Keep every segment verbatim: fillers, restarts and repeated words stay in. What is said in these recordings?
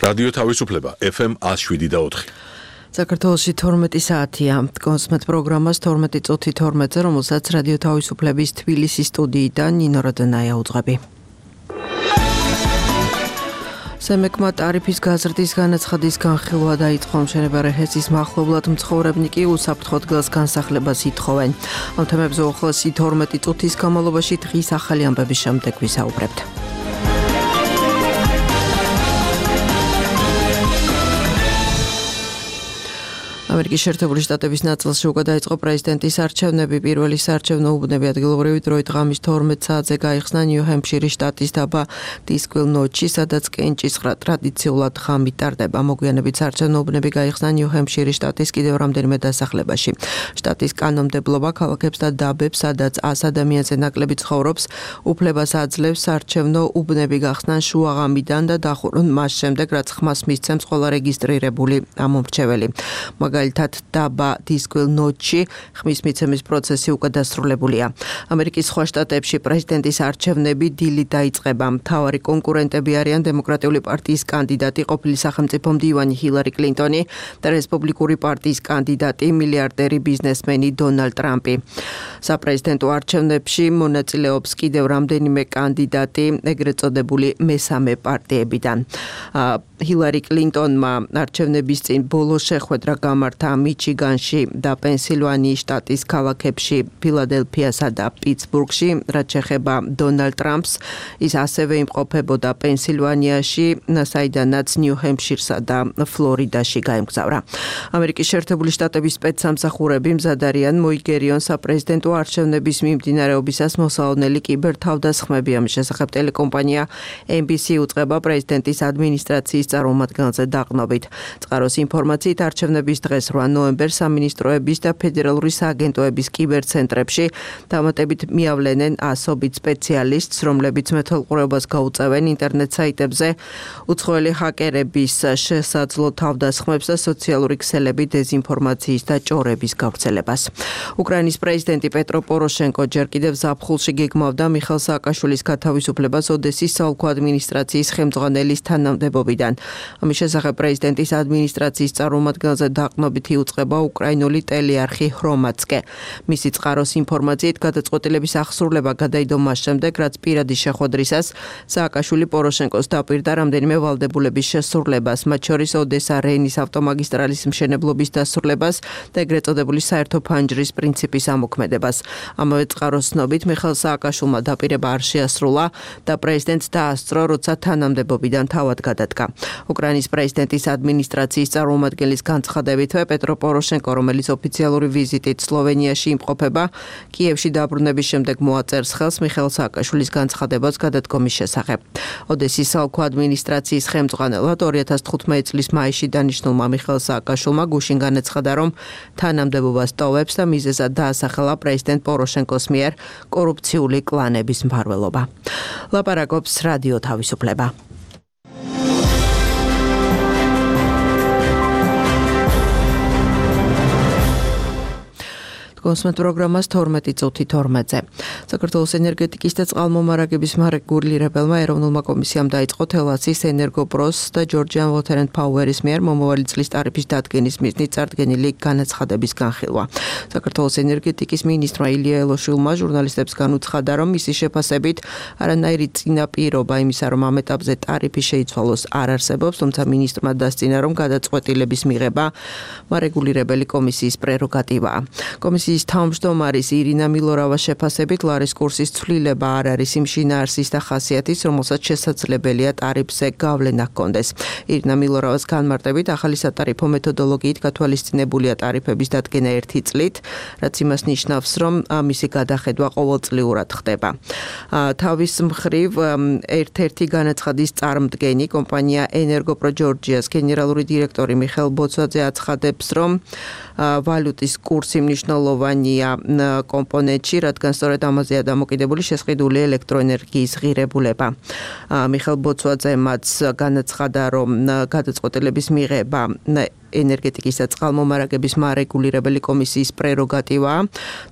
რადიო თავისუფლება ეფ ემ one oh seven და four. საქართველოში თორმეტი საათია. კონსმეთ პროგრამას თორმეტი წუთი თორმეტზე, რომელსაც რადიო თავისუფლების თბილისის სტუდიიდან ნინო როდენაია უძღვები. სემეკმა ტარიფის გაზრდის განაცხადის განხილვა დაიწყო. მშენებარე ჰესის მახლობლად მცხოვრებნი კი უსაფრთხო დგას განსახლებას ითხოვენ. ამ თემებზე უახლოესი თორმეტი წუთის განმავლობაში დღის ახალი ამბების შემდეგ ვისაუბრებთ. ამერიკის შეერთებული შტატების ნაწილში უკვე დაიწყო პრეზიდენტის არჩევნები. პირველი საარჩევნო უბნები ადგილობრივი დროით ღამის თორმეტ საათზე გაიხსნა ნიუ-ჰემფშირის შტატის დაბა დისკვილ-ნოჩში, სადაც კენჭისყრა ტრადიციულად ღამით ტარდება. მოგვიანებით საარჩევნო უბნები გაიხსნა ნიუ-ჰემფშირის შტატის კიდევ რამდენიმე დასახლებაში. შტატის კანონმდებლობა ქალაქებს და დაბებს, სადაც ას ადამიანზე ნაკლები ცხოვრობს, უფლებას აძლევს საარჩევნო უბნები გახსნან შუაღამიდან და დახურონ მას შემდეგ, რაც ხმას მისცემს ყველა რეგისტრირებული ამომრჩეველი. მაგალითად დაბა დისკვილ-ნოჩში ხმის მიცემის პროცესი უკვე დასრულებულია. ამერიკის სხვა შტატებში პრეზიდენტის არჩევნები დილით დაიწყება. მთავარი კონკურენტები არიან დემოკრატიული პარტიის კანდიდატი ყოფილი სახელმწიფო მდივანი ჰილარი კლინტონი და რესპუბლიკური პარტიის კანდიდატი მილიარდერი ბიზნესმენი დონალდ ტრამპი. საპრეზიდენტო არჩევნებში მონაწილეობს კიდევ რამდენიმე კანდიდატი ეგრეთ წოდებული მესამე პარტიებიდან. ჰილარი კლინტონმა არჩევნების წინ ბოლო შეხვედრა გამართა მიჩიგანში და პენსილვანიის შტატის ქალაქებში, ფილადელფიასა და პიტსბურგში, რაც შეეხება დონალდ ტრამპს, ის ასევე იმყოფებოდა პენსილვანიაში, საიდანაც ნიუ-ჰემფშირსა და ფლორიდაში გაემგზავრა. ამერიკის შეერთებული შტატების სპეცსამსახურები მზად არიან მოიგერიონ საპრეზიდენტო არჩევნების მიმდინარეობისას მოსალოდნელი კიბერთავდასხმები. ამის შესახებ ტელეკომპანია ენ ბი სი უწყება პრეზიდენტის ადმინისტრაციის წარმომადგენელზე დაყრდნობით. წყაროს ინფორმაციით არჩევნების დღეს რვა ნოემბერს სამინისტროების და ფედერალური სააგენტოების კიბერცენტრებში დამატებით მიავლენენ ასობით სპეციალისტს, რომლებიც მეთვალყურეობას გაუწევენ ინტერნეტ საიტებზე უცხოელი ჰაკერების შესაძლო თავდასხმებს და სოციალური ქსელები დეზინფორმაციის და ჭორების გავრცელებას. უკრაინის პრეზიდენტი პეტრო პოროშენკო ჯერ კიდევ ზაფხულში გეგმავდა მიხეილ სააკაშვილის გათავისუფლებას ოდესის საოლქო ადმინისტრაციის ხელმძღვანელის თანამდებობიდან. ამის შესახებ პრეზიდენტის ადმინისტრაციის წარმომადგენელზე დაყრდნობით იუწყება უკრაინული ტელეარხი ჰრომაცკე. მისი წყაროს ინფორმაციით გადაწყვეტილების აღსრულება გადაიდო მას შემდეგ, რაც პირადი შეხვედრისას სააკაშვილი პოროშენკოს დაპირდა რამდენიმე ვალდებულების შესრულებას, მათ შორის ოდესა რეინის ავტომაგისტრალის მშენებლობის დასრულებას და ეგრეთ წოდებული საერთო ფანჯრის პრინციპის ამოქმედებას. ამავე წყაროს ცნობით მიხეილ სააკაშვილმა დაპირება არ შეასრულა და პრეზიდენტს დაასწრო, როცა თანამდებობიდან თავად გადადგა. უკრაინის პრეზიდენტის ადმინისტრაციის წარმომადგენლის განცხადებითვე პეტრო პოროშენკო, რომელიც ოფიციალური ვიზიტით სლოვენიაში იმყოფება, კიევში დაბრუნების შემდეგ მოაწერს ხელს მიხეილ სააკაშვილის განცხადებას გადადგომის შესახებ. ოდესის საოლქო ადმინისტრაციის ხელმძღვანელად ორი ათას თხუთმეტი წლის მაისში დანიშნულმა მიხეილ სააკაშვილმა გუშინ განაცხადა, რომ თანამდებობას ტოვებს და მიზეზად დაასახელა პრეზიდენტ პოროშენკოს მიერ კორუფციული კლანების მფარველობა. ლაპარაკობს რადიო თავისუფლება. კონსმეთ პროგრამას თორმეტი წუთი თორმეტზე. საქართველოს ენერგეტიკის და წყალმომარაგების მარეგულირებელმა ეროვნულმა კომისიამ დაიწყო თელასის ენერგოპროს და ჯორჯიან ვოთერ ენდ ფაუერის მიერ მომავალი წლის ტარიფის დადგენის მიზნით წარდგენილი განაცხადების განხილვა. საქართველოს ენერგეტიკის მინისტრმა ილია ელოშვილმა ჟურნალისტებს განუცხადა, რომ მისი შეფასებით არანაირი წინაპირობა იმისა, რომ ამ ეტაპზე ტარიფი შეიცვალოს, არ არსებობს, თუმცა მინისტრმა დასწინა, რომ გადაწყვეტილების მიღება მარეგულირებელი კომისიის პრეროგატივაა. კომისიის თავმჯდომარის ირინა მილორავას შეფასებით ლარის კურსის ცვლილება არ არის იმ შინაარსის და ხასიათის, რომელსაც შესაძლებელია ტარიფზე გავლენა ჰქონდეს. ირინა მილორავას განმარტებით ახალი სატარიფო მეთოდოლოგიით გათვალისწინებულია ტარიფების დადგენა ერთი წლით, რაც იმას ნიშნავს, რომ მისი გადახედვა ყოველწლიურად ხდება. თავის მხრივ ერთ-ერთი განაცხადის წარმდგენი კომპანია ენერგოპრო ჯორჯიას გენერალური დირექტორი მიხეილ ბოცვაძე აცხადებს, რომ ვალუტის კურსი მნიშვნელოვანი მნიშვნელოვანია კომპონენტში, რადგან სწორედ ამაზეა დამოკიდებული შესყიდული ელექტროენერგიის ღირებულება. მიხელ ბოცვაძემაც განაცხადა, რომ გადაწყვეტილების მიღება ენერგეტიკის და წყალმომარაგების მარეგულირებელი კომისიის პრეროგატივაა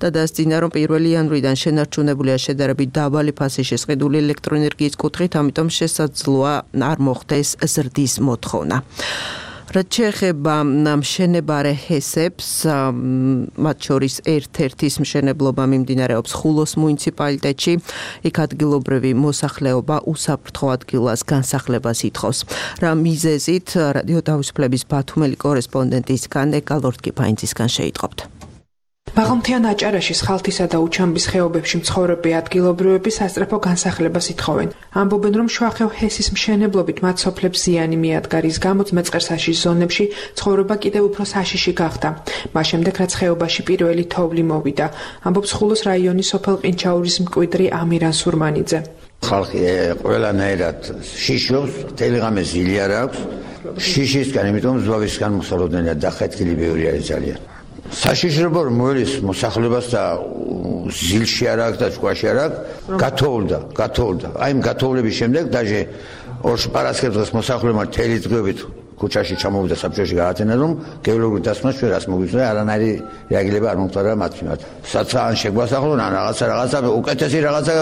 და დასძინა, რომ პირველი იანვრიდან შენარჩუნებულია შედარებით დაბალი ფასი შესყიდული ელექტროენერგიის კუთხით, ამიტომ შესაძლოა არ მოხდეს ზრდის მოთხოვნა. რაც შეეხება მშენებარე ჰესებს, მათ შორის ერთ-ერთის მშენებლობა მიმდინარეობს ხულოს მუნიციპალიტეტში, იქ ადგილობრივი მოსახლეობა უსაფრთხო ადგილას განსახლებას ითხოვს. რა მიზეზით რადიო თავისუფლების ბათუმელი კორესპონდენტისგან ეკალორდ კიფაინცისგან შეიტყობთ. მაღალმთიან აჭარაში ხალთისა და უჩამბის ხეობებში მცხოვრები ადგილობრივები სასწრაფო განსახლებას ითხოვენ. ამბობენ, რომ შუახევ ჰესის მშენებლობით მათ სოფლებს ზიანი მიადგა, რის გამოც მეწყერსაშის ზონებში ცხოვრება კიდევ უფრო საშიში გახდა. მას შემდეგ, რაც ხეობაში პირველი თოვლი მოვიდა, ამბობს ხულოს რაიონის სოფელ ყინჩაურის მკვიდრი ამირან სურმანიძე. ხალხი ყველანაირად შიშობს, მთელი ღამე ზილი არ აქვს. შიშისგან, იმიტომ ზვავისგან მოსალოდნელად დახეთქილი ბევრი არის ძალიან. საშიშრობო რომ მოელის მოსახლეობას და ზილში არ აქვს და ჭკვაში არ აქვს, გათოვლდა, გათოვლდა. აი იმ გათოვლების შემდეგ დაჟე ორ პარასკევს დღეს მოსახლეობა მთელი დღეობით ქუჩაში ჩამოვიდა საბჭოში გაათენა, რომ გეოლოგიური დასკვნა ჩვენ რას მოგვიწვია, არანაირი რეაგირება არ მომხდარა მათ მიმართ. საცა ან შეგვასახლონ, ან რაღაცა რაღაცა უკეთესი რაღაცა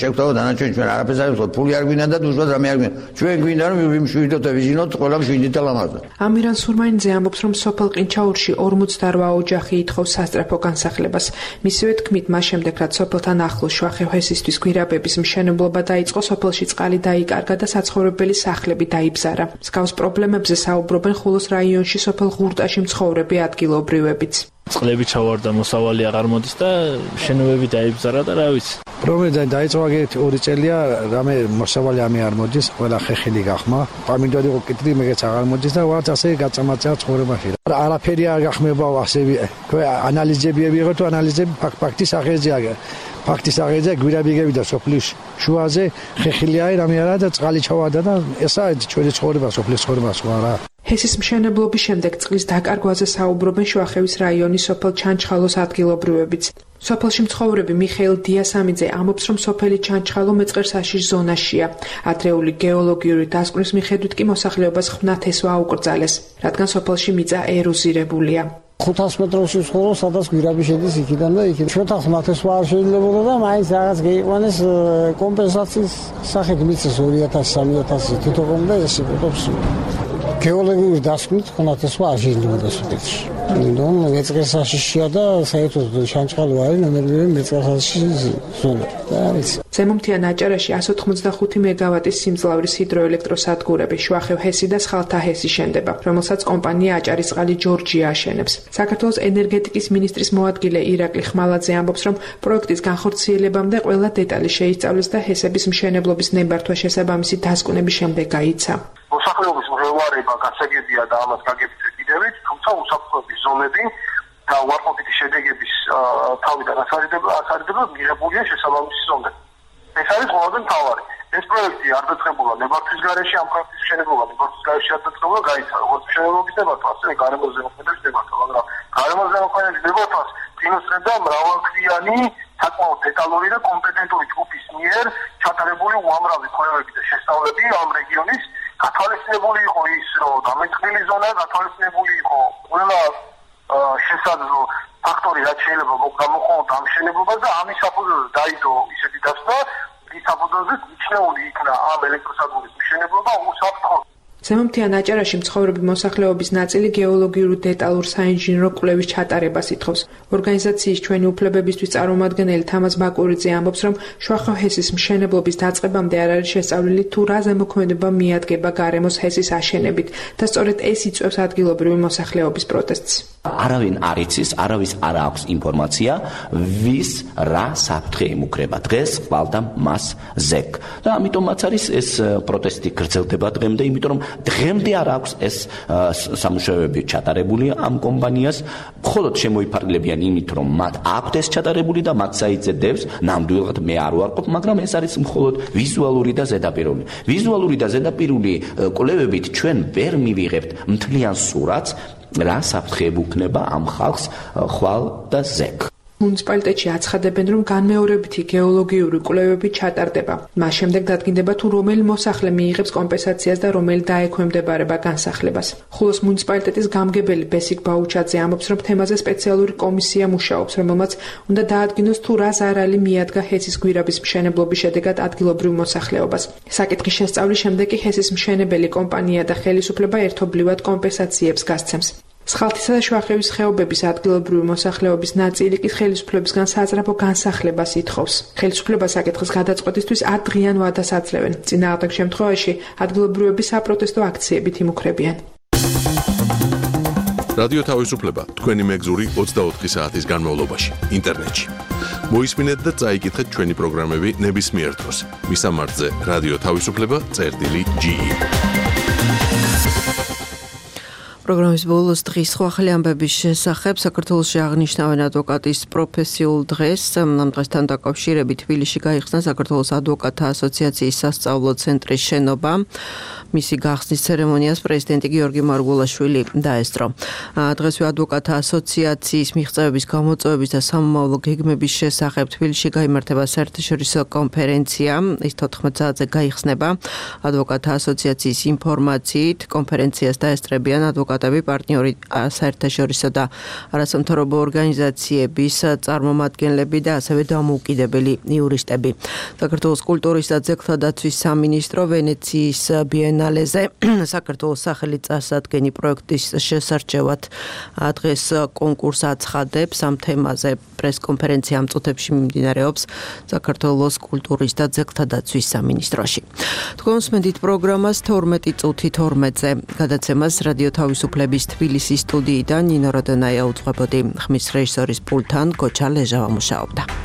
შეგვთავაზო, დანარჩენი ჩვენ არაფერს არ ვიყო, ფული არ გვინდა და უშუალოდ რამე არ გვინდა. ჩვენ გვინდა რომ ვიმშვიდოთ და ვიზინოთ, ყველა მშვიდით და ლამაზად. ამირან სურმანიძე ამბობს, რომ სოფელ ყინჩაურში ორმოცდაორ ოჯახი ითხოვს სასწრაფო განსახლებას. მისივე თქმით, მას შემდეგ, რაც სოფელთან ახლოს შუახევ ჰესისთვის გვირაბების მშენებლობა დაიწყო, სოფელში წყალი დაიკარგა და საცხოვრებელი სახლები დაიბზარა. მსგავს პრობლემებზე საუბრობენ ხულოს რაიონში სოფელ ღურტაში მცხოვრები ადგილობრივებიც. წყლები ჩავარდა, მოსავალი აღარ მოდის და შენობები დაიბზარა და რა ვიცი. პრობლემა დაიწყო აგეთ ორი წელია, რამე მოსავალი ამი არ მოდის, ყველა ხეხილი გახმა. პამინდორი იყო კიტრი, მეგეც აღარ მოდის და ვარც ასე გაწამაწა ცხოვრებაში. არაფერი არ გახმება ასე ანალიზები ვიღო თუ ანალიზები ფაქტის აღეზია. ფაქტის აღეზია გვირაბიგები და სოფლის შუაზე ხეხილი არის, რამე არა და წყალი ჩავარდა და ესაა ჩვენი ცხოვრება, სოფლის ცხოვრება სხვა რა. ჰესის მშენებლობის შემდეგ წყლის დაკარგვაზე საუბრობენ შუახევის რაიონის სოფელ ჩანჩხალოს ადგილობრივებიც. სოფელში მცხოვრები მიხეილ დიასამიძე ამბობს, რომ სოფელი ჩანჩხალო მეწყერსაშის ზონაშია. ადრეული გეოლოგიური დასკვნის მიხედვით კი მოსახლეობას ხვნათესვა აუკრძალეს, რადგან სოფელში მიწა ეროზირებულია. ხუთას მეტრში ვცხოვრობ, სადაც გვირაბი შედის იქიდან და იქიდან. ჩვენთან ხვნათესვა არ შეიძლებოდა და მაინც რაღაც გეიყვანეს კომპენსაციის სახით მიწის ორი ათასი სამი ათასი თითოეულ და ეს იპოვებს. გეოლოგიური დასკვნით ხვნათესვა არ შეიძლება სოფელში. ნუ მეწყერსაშიშია და საერთოდ ჩანჩხალო არის ნომერ ერთი მეწყერსაშიშის ზონა. და არის. ზემომთიან აჭარაში εκατს ოცდახუთი მეგავატის სიმძლავრის ჰიდროელექტროსადგურები შუახევ ჰესი და სხალთა ჰესი შენდება, რომელსაც კომპანია აჭარისწყალი ჯორჯია აშენებს. საქართველოს ენერგეტიკის მინისტრის მოადგილე ირაკლი ხმალაძე ამბობს, რომ პროექტის განხორციელებამდე ყველა დეტალი შეისწავლეს და ჰესების მშენებლობის ნებართვა შესაბამისი დასკვნების შემდეგ გაიცა. მოსახლეობის მღელვარება გასაგებია და ამას გაგებით ვეკიდებით, თუმცა უსაფრთხოების ზონები და უარყოფითი შედეგების თავიდან ასარიდება მიღებულია შესაბამისი ზონები. ეს არის ყველაზე მთავარი. ეს პროექტი არ დაწყებულა ნებართვის გარეშე, ამ პროექტის მშენებლობა ნებართვის გარეშე არ დაწყებულა, გაიცა როგორც მშენებლობის ნებართვა, ასევე გარემოს ზემოქმედების ნებართვა, მაგრამ გარემოს ზემოქმედების ნებართვას ფინანსებდა მრავალთვიანი, საკმაოდ დეტალური და კომპეტენტური ჯგუფის მიერ ჩატარებული უამრავი კვლევები და შესწავლები ამ რეგიონის. გათვალისწინებული იყო ის, რომ დამეტყმილი ზონა გათვალისწინებული იყო ყველა შესაძლო ფაქტორი, რაც შეიძლება გამოხმაუროთ ამ მშენებლობას და ამის საფუძველზე დაიდო ისეთი დასკვნა, რის საფუძველზეც მიჩნეული იქნა ამ ელექტროსადგურის მშენებლობა უსაფრთხო. ზემომთიან აჭარაში მცხოვრები მოსახლეობის ნაწილი გეოლოგიურ დეტალურ საინჟინრო კვლევის ჩატარებას ითხოვს. ორგანიზაციის ჩვენი უფლებებისთვის წარმომადგენელი თამაზ ბაკურიძე ამბობს, რომ შუახევ ჰესის მშენებლობის დაწყებამდე არ არის შესწავლილი თუ რა ზემოქმედება მიადგება გარემოს ჰესის აშენებით და სწორედ ეს იწვევს ადგილობრივი მოსახლეობის პროტესტს. არავინ არ იცის, არავის არ აქვს ინფორმაცია, ვის რა საფრთხე ემუქრება. დღეს ყვალდა მას ზეკ. და ამიტომაც არის ეს პროტესტი გრძელდება დღემდე, იმიტომ რომ დღემდე არ აქვს ეს სამუშაოები ჩატარებული ამ კომპანიას, მხოლოდ შემოიფარგლებიან იმით, რომ მათ აქვთ ეს ჩატარებული და მათ საიძედებს, ნამდვილად მე არ ვარყოფ, მაგრამ ეს არის მხოლოდ ვიზუალური და ზედაპირული. ვიზუალური და ზედაპირული კვლევებით ჩვენ ვერ მივიღებთ მთლიან სურათს, რა საფრთხე ეუბნება ამ ხალხს ხვალ და ზეკ. მუნიციპალიტეტში აცხადებენ, რომ განმეორებითი გეოლოგიური კვლევები ჩატარდება. მას შემდეგ დადგინდება თუ რომელი მოსახლე მიიღებს კომპენსაციას და რომელი დაექვემდებარება განსახლებას. ხულოს მუნიციპალიტეტის გამგებელი ბესიკ ბაუჩაძე ამბობს, რომ თემაზე სპეციალური კომისია მუშაობს, რომელმაც უნდა დაადგინოს თუ რა ზარალი მიადგა ჰესის გვირაბის მშენებლობის შედეგად ადგილობრივ მოსახლეობას. საკითხის შესწავლის შემდეგ კი ჰესის მშენებელი კომპანია და ხელისუფლება ერთობლივად კომპენსაციებს გასცემს. სხალთისა და შუახევის ხეობების ადგილობრივი მოსახლეობის ნაწილი კი ხელისუფლებისგან საძრაფო განსახლებას ითხოვს. ხელისუფლება საკითხის გადაწყვეტისთვის ათდღიან ვადას აძლევენ. წინააღმდეგ შემთხვევაში ადგილობრივები საპროტესტო აქციებით იმუქრებიან. რადიო თავისუფლება თქვენი მეგზური ოცდაოთხი საათის განმავლობაში ინტერნეტში. მოისმინეთ და წაიკითხეთ ჩვენი პროგრამები ნებისმიერ დროს. მისამართზე რადიო თავისუფლება წერტილი ჯი ი. პროგრამის ბოლოს დღის სხვა ახალი ამბების შესახებ საქართველოში აღნიშნავენ ადვოკატის პროფესიულ დღეს. ამ დღესთან დაკავშირებით თბილისში გაიხსნა საქართველოს ადვოკატთა ასოციაციის სასწავლო ცენტრის შენობა. მისი გახსნის ცერემონიას პრეზიდენტი გიორგი მარგულაშვილი დაესწრო. დღესვე ადვოკატთა ასოციაციის მიღწევების, გამოწვევების და სამომავლო გეგმების შესახებ თბილისში გაიმართება საერთაშორისო კონფერენცია. ის თოთხმეტ საათზე გაიხსნება. ადვოკატთა ასოციაციის ინფორმაციით კონფერენციას დაესწრებიან ადვოკატები, პარტნიორი საერთაშორისო და არასამთავრობო ორგანიზაციების წარმომადგენლები და ასევე დამოუკიდებელი იურისტები. საქართველოს კულტურის და ძეგლთა დაცვის სამინისტრო ვენეციის ბიენალეზე საქართველოს სახელით წარსადგენი პროექტის შესარჩევად დღეს კონკურს აცხადებს. ამ თემაზე პრესკონფერენცია ამ წუთებში მიმდინარეობს საქართველოს კულტურის და ძეგლთა დაცვის სამინისტროში. თქვენ უსმენთ პროგრამას თორმეტი წუთი თორმეტზე. გადაცემას რადიო თავისუფლების თბილისის სტუდიიდან ნინო როდონაია უძღვებოდი. ხმის რეჟისორის პულტთან გოჩა ლეჟავა მუშაობდა.